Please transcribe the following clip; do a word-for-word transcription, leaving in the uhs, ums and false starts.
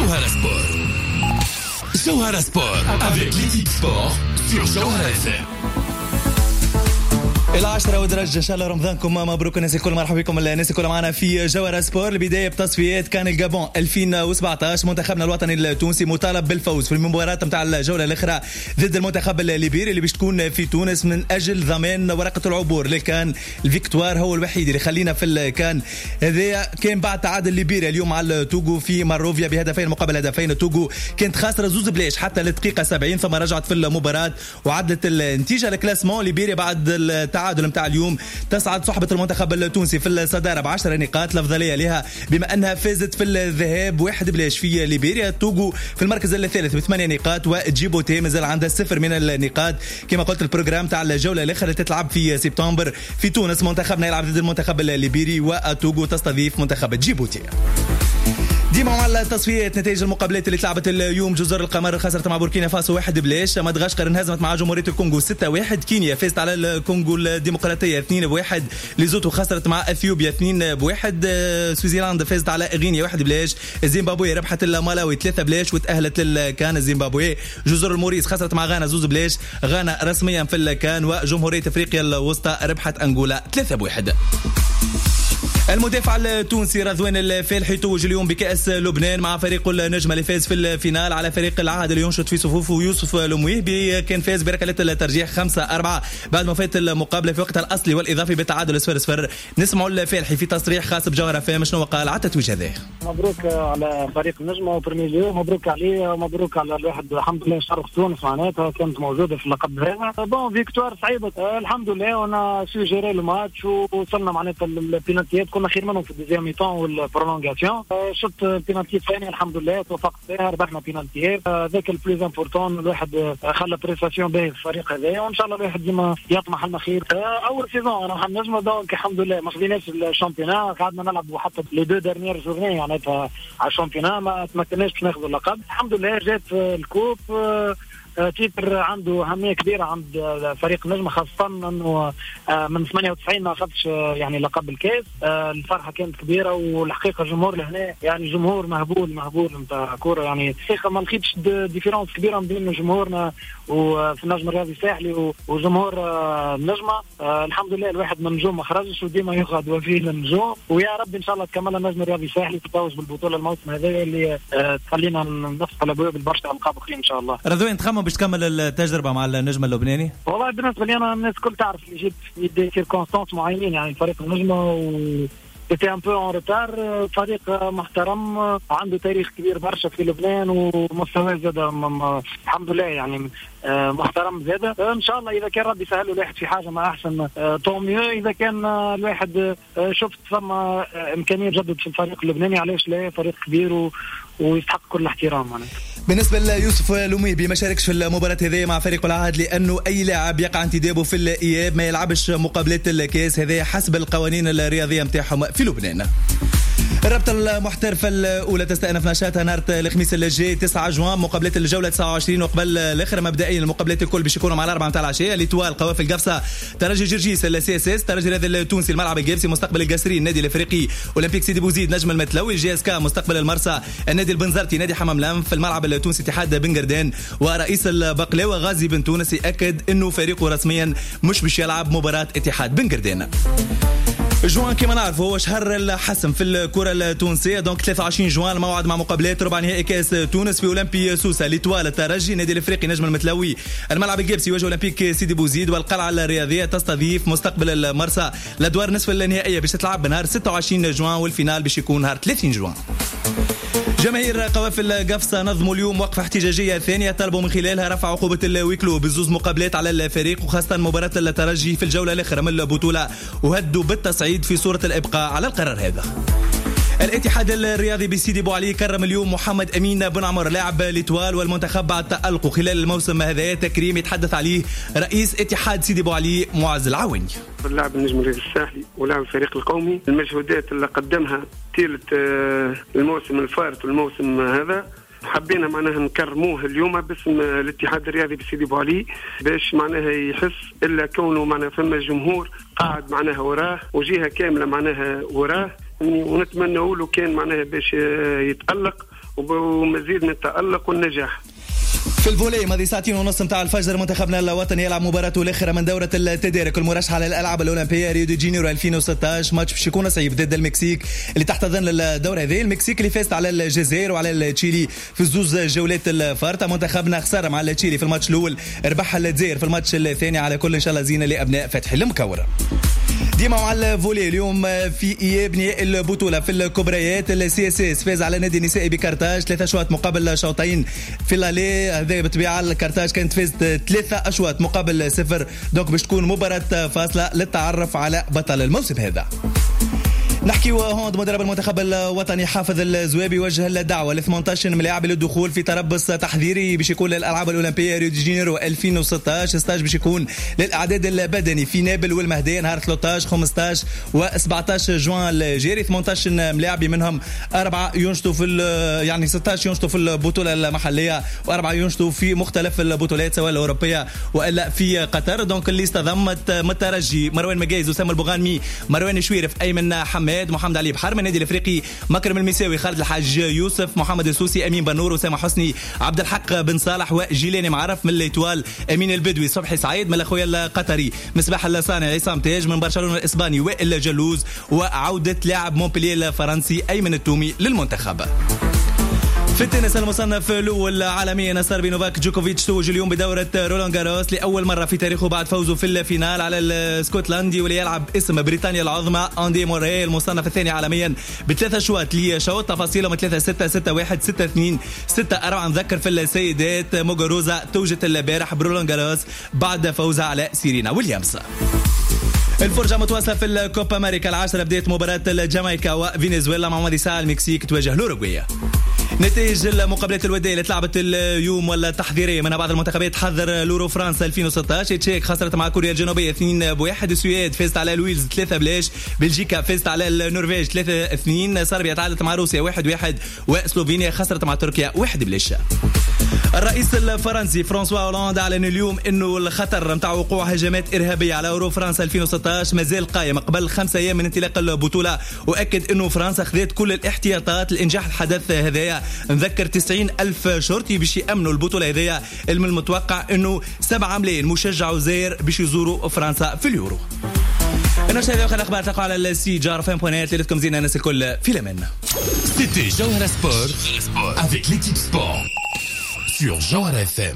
جوهرة سبور. جوهرة سبور avec l'équipe sport sur جوهرة اف ام. العشرة ودرج، ان شاء الله رمضانكم مبروك الناس الكل. مرحبا بكم الناس الكل معنا في جوهرة سبور. البداية بتصفيات كان الجابون ألفين وسبعطاش. منتخبنا الوطني التونسي مطالب بالفوز في المباراة نتاع الجولة الأخرى ضد المنتخب الليبيري اللي باش تكون في تونس من أجل ضمان ورقة العبور للكان. ال victoire هو الوحيد اللي خلينا في الكان. هذا كان بعد تعادل ليبيريا اليوم على التوغو في مونروفيا بهدفين مقابل هدفين. التوغو كانت خاسرة زوز بلاش حتى للدقيقة سبعين، ثم رجعت في المباراة وعدلت النتيجة. ال classement، ليبيريا بعد التعادل نتاع اليوم تصعد صحبة المنتخب التونسي في الصدارة بعشر نقاط، الأفضلية لها بما أنها فازت في الذهاب واحد بلاش في ليبيريا. توغو في المركز الثالث بثمانية نقاط، وجيبوتي مازال عندها صفر من النقاط. كما قلت، ال programme تاع الجولة الأخرى اللي تتلعب في سبتمبر في تونس، منتخبنا يلعب ضد المنتخب الليبيري وتوغو تستضيف منتخب جيبوتي. ديما مع التصفيات، نتائج المقابلات اللي تلعبت اليوم: جزر القمر خسرت مع بوركينا فاسو واحد بلاش، مدغشقر انهزمت مع جمهورية الكونغو ستة واحد، كينيا فازت على الكونغو الديمقراطية اثنين بواحد، ليزوتو خسرت مع اثيوبيا اثنين بواحد، سوازيلاند فازت على غينيا واحد بلاش، زيمبابوي ربحت المالاوي ثلاثة بلاش وتأهلت للكان زيمبابوي. جزر الموريس خسرت مع غانا زوز بلاش، غانا رسميا في الكان، وجمهورية افريقيا الوسطى ربحت انغولا ثلاثة بواحد. المدافع التونسي رضوان الفالحي توج اليوم بكأس لبنان مع فريق النجمة اللي فاز في ال finale على فريق العهد اللي ينشط في صفوفه يوسف المويهبي. كان فاز بركلات الترجيح خمسة أربعة بعد ما فات المقابلة في وقتها الأصلي والإضافي بالتعادل صفر صفر. نسمعوا الفالحي في تصريح خاص بجوهرة اف ام شنو قال على التتويج هذا. مبروك على فريق النجمة premier lieu، مبروك عليه، مبروك على الواحد. الحمد لله، شرف تونس معناتها كانت موجودة في اللقب هذا. bon، victoire صعيبه، الحمد لله on a su gérer الماتش ووصلنا معناتها البينالتيات. كنا خير منهم في ال deuxième mi-temps وال prolongation. شفت البينالتي الثاني، الحمد لله توفقت فيها، ربحنا بينالتيات. هذاك ال plus important. الواحد خلى prestation باهي في الفريق هذا، وان شاء الله الواحد ديما يطمح المخير. اول saison انا محمد نجمه، donc الحمد لله ما خذيناش ال championnat، قعدنا نلعب حتى les deux dernières journées معناتها على ال championnat، ما تمكناش باش ناخذ اللقب. الحمد لله جات ال coupe، titre عنده اهمية كبيرة عند فريق النجمه، خاصة انه من ثمانية وتسعين ما اخذش يعني لقب الكاس. الفرحة كانت كبيره، والحقيقة الجمهور لهنا يعني جمهور مهبول مهبول نتاع كوره. يعني الحقيقة ما لقيتش différence كبيرة بين جمهورنا وفي النجم الرياضي الساحلي وجمهور النجمه. الحمد لله الواحد من نجوم ما خرجش وديما يقعد وفي للنجوم، ويا رب ان شاء الله تكمل النجم الرياضي الساحلي تتوج بالبطولة الموسم هذا اللي تخلينا نفتح الابواب البرشا القاب اخرين ان شاء الله. رضوان، تخمم باش تكمل التجربة مع النجم اللبناني؟ والله بالنسبة لي انا، الناس الكل تعرف اللي جيت في des circonstances معينين، يعني فريق النجمة و était un peu en retard. فريق محترم عنده تاريخ كبير برشا في لبنان، ومستواه زاد الحمد لله يعني محترم زاد. ان شاء الله اذا كان ربي سهل الواحد في حاجة ما احسن tant mieux. اذا كان الواحد شفت ثم امكانية تجدد في الفريق اللبناني، علاش لا؟ فريق كبير و ويستحق كل الاحترام معناتها. بالنسبة ليوسف المويهبي، ما شاركش في المباراة هذه مع فريق العهد، لأنه أي لاعب يقع انتدابه في الإياب ما يلعبش مقابلات الكاس، هذا حسب القوانين الرياضية نتاعهم في لبنان. الرابطة المحترفة الأولى تستأنف نشاطها نهار الخميس الجاي تسعة جوان، مقابلات الجولة تسعة وعشرين وقبل الآخر. مبدئيا المقابلات الكل باش يكونوا مع الأربعة نتاع العشية: l'Étoile قوافل قفصة، ترجي جرجيس ال CSS، ترجي الرياضي التونسي الملعب القابسي، مستقبل القصرين النادي الافريقي، اولمبيك سيدي بوزيد نجم المتلوي، JSK مستقبل المرسى، النادي البنزرتي نادي حمام الأنف، في الملعب التونسي اتحاد بن. ورئيس البقلاوة غازي بن تونس يأكد انه فريقه رسميا مش باش يلعب مباراة اتحاد بن قردان. جوان كما نعرف هو شهر الحسم في الكرة التونسية، donc ثلاثة وعشرين جوان الموعد مع مقابلات ربع نهائي كاس تونس. في اولمبي سوسة l'Étoile الترجي، النادي الافريقي نجم المتلوي، الملعب القابسي يواجه اولمبيك سيدي بوزيد، والقلعة الرياضية تستضيف مستقبل المرسى. الادوار نصف النهائية باش تلعب نهار ستة وعشرين جوان، وال finale باش يكون نهار ثلاثين جوان. جماهير قوافل قفصة نظموا اليوم وقفة احتجاجية ثانية طلبوا من خلالها رفع عقوبة ال huis clos بزوز مقابلات على الفريق، وخاصة مباراة الترجي في الجولة الأخرى من البطولة، وهددوا بالتصعيد في صورة الإبقاء على القرار هذا. الاتحاد الرياضي بسيدي بوعلي كرم اليوم محمد امين بن عمر لاعب l'Étoile والمنتخب بعد تألقه خلال الموسم هذا. تكريم يتحدث عليه رئيس اتحاد سيدي بوعلي معز العواني. اللاعب النجم الرياضي الساحلي ولاعب الفريق القومي، المجهودات اللي قدمها طيلة آه، الموسم الفارط والموسم هذا، حبينا معناها نكرموه اليوم باسم الاتحاد الرياضي بسيدي بوعلي، باش معناها يحس الا كونه معناها فما جمهور قاعد معناها وراه وجهه كاملة معناها وراه. ونتمنى له كان معناها باش يتألق ومزيد من التألق والنجاح. في ال volley ماضي ساعتين ونص نتاع الفجر منتخبنا الوطني يلعب مباراته الاخرى من دوره التدارك المرشحه للالعاب الاولمبية ريو دي جانيرو ألفين وستة عشر. ماتش باش يكون صعيب ضد المكسيك اللي تحتضن الدورة هذه. المكسيك اللي فازت على الجزائر وعلى التشيلي في الزوز جولات الفارطه. منتخبنا خسر مع التشيلي في الماتش الاول، ربح الجزائر في الماتش الثاني. على كل ان شاء الله زينة لابناء فتحي المكوره. ديما مع ال volley اليوم في اياب نهائي البطولة في الكبريات، ال CSS فاز على نادي النسائي بكرتاج ثلاثة اشواط مقابل شوطين في l'aller. هذا بالطبيعة الكرتاج كانت فازت ثلاثة اشواط مقابل صفر، donc باش تكون مباراة فاصلة للتعرف على بطل الموسم هذا. نحكي hand، مدرب المنتخب الوطني حافظ الزوابي وجه الدعوة ل ثمانية عشر ملاعب للدخول في تربص تحضيري باش يكون للالعاب الاولمبية ريو دي جانيرو ألفين وستة عشر. stage باش يكون للاعداد البدني في نابل والمهديه نهار ثلاثة عشر خمسة عشر و سبعة عشر جوان الجاري. ثمانية عشر ملاعب منهم اربعة ينشطوا في يعني ستة عشر ينشطوا في البطولة المحلية واربعة ينشطوا في مختلف البطولات سواء الاوروبية والا في قطر. donc ال liste ضمت الترجي مروان مجايز، اسامة البوغانمي، مروان شويرف، ايمن حماد، محمد علي بحر من النادي الافريقي، مكرم المساوي، خالد الحاج يوسف، محمد السوسي، امين بنور، اسامة حسني، عبد الحق بن صالح، وجيلاني معرف من l'Étoile، امين البدوي، صبحي سعيد من الاخويا القطري، مصباح الصانع، عصام تاج من برشلونة الاسباني، وائل جلوز، وعوده لاعب مونبلييه الفرنسي ايمن التومي للمنتخب. في التنس المصنف الاول عالميا الصربي نوفاك جوكوفيتش توج اليوم بدوره رولان جاروس لاول مرة في تاريخه بعد فوزه في ال finale على الاسكتلندي واللي يلعب اسم بريطانيا العظمى اندي موري المصنف الثاني عالميا بثلاث اشواط لشوط. تفاصيلهم ثلاثة ستة ستة واحد ستة اثنين ستة أربعة. نذكر في السيدات موغوروزا توجت البارح برولان جاروس بعد فوزها على سيرينا ويليامز. الفرجة متواصلة في الكوبا أمريكا العاشرة، بداية مباراة الجامايكا وفنزويلا مع ماضي ساعة المكسيك تواجه الأوروغواي. نتائج المقابلات الودية اللي تلعبت اليوم ولا التحضيرية من بعض المنتخبات حضر لورو فرنسا ألفين وستة عشر، تشيك خسرت مع كوريا الجنوبية اثنين بواحد، السويد فازت على الويلز ثلاثة بلاش، بلجيكا فازت على النرويج ثلاثة اثنين، صربيا تعادلت مع روسيا واحد واحد، وسلوفينيا خسرت مع تركيا واحد بلاش. الرئيس الفرنسي فرانسوا هولاند أعلن اليوم أنه الخطر نتاع وقوع هجمات إرهابية على أورو فرنسا ألفين وستة عشر مازال قائم قبل خمسة أيام من انطلاق البطولة، وأكد أنه فرنسا خذت كل الاحتياطات لإنجاح الحدث هذايا. نذكر تسعين ألف شرطي باش يأمنوا البطولة هذايا، من المتوقع أنه سبعة ملايين مشجع وزائر باش يزوروا فرنسا في اليورو. النشرة هذه وآخر الأخبار تلقوا على ال site جوهرة إف إم point net. ليلتكم زينة الناس الكل في الأمان. C'était Jawhara Sport avec l'équipe sport sur Jawhara إف إم.